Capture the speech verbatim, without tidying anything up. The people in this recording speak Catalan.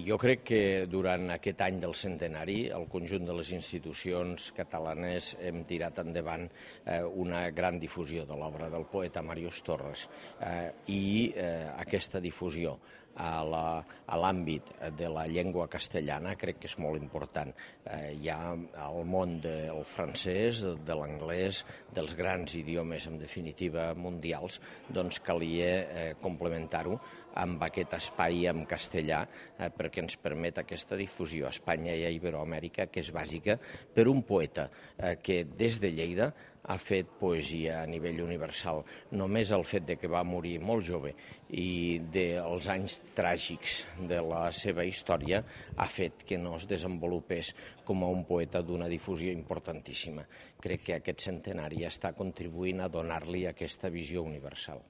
Jo crec que durant aquest any del centenari el conjunt de les institucions catalanes hem tirat endavant eh, una gran difusió de l'obra del poeta Màrius Torres eh, i eh, aquesta difusió a l'àmbit de la llengua castellana crec que és molt important. Eh, hi ha el món del francès, de l'anglès, dels grans idiomes, en definitiva, mundials, doncs calia eh, complementar-ho amb aquest espai en castellà eh, perquè ens permet aquesta difusió a Espanya i a Iberoamèrica, que és bàsica per un poeta eh, que des de Lleida ha fet poesia a nivell universal. Només el fet de que va morir molt jove i dels anys tràgics de la seva història ha fet que no es desenvolupés com a un poeta d'una difusió importantíssima. Crec que aquest centenari està contribuint a donar-li aquesta visió universal.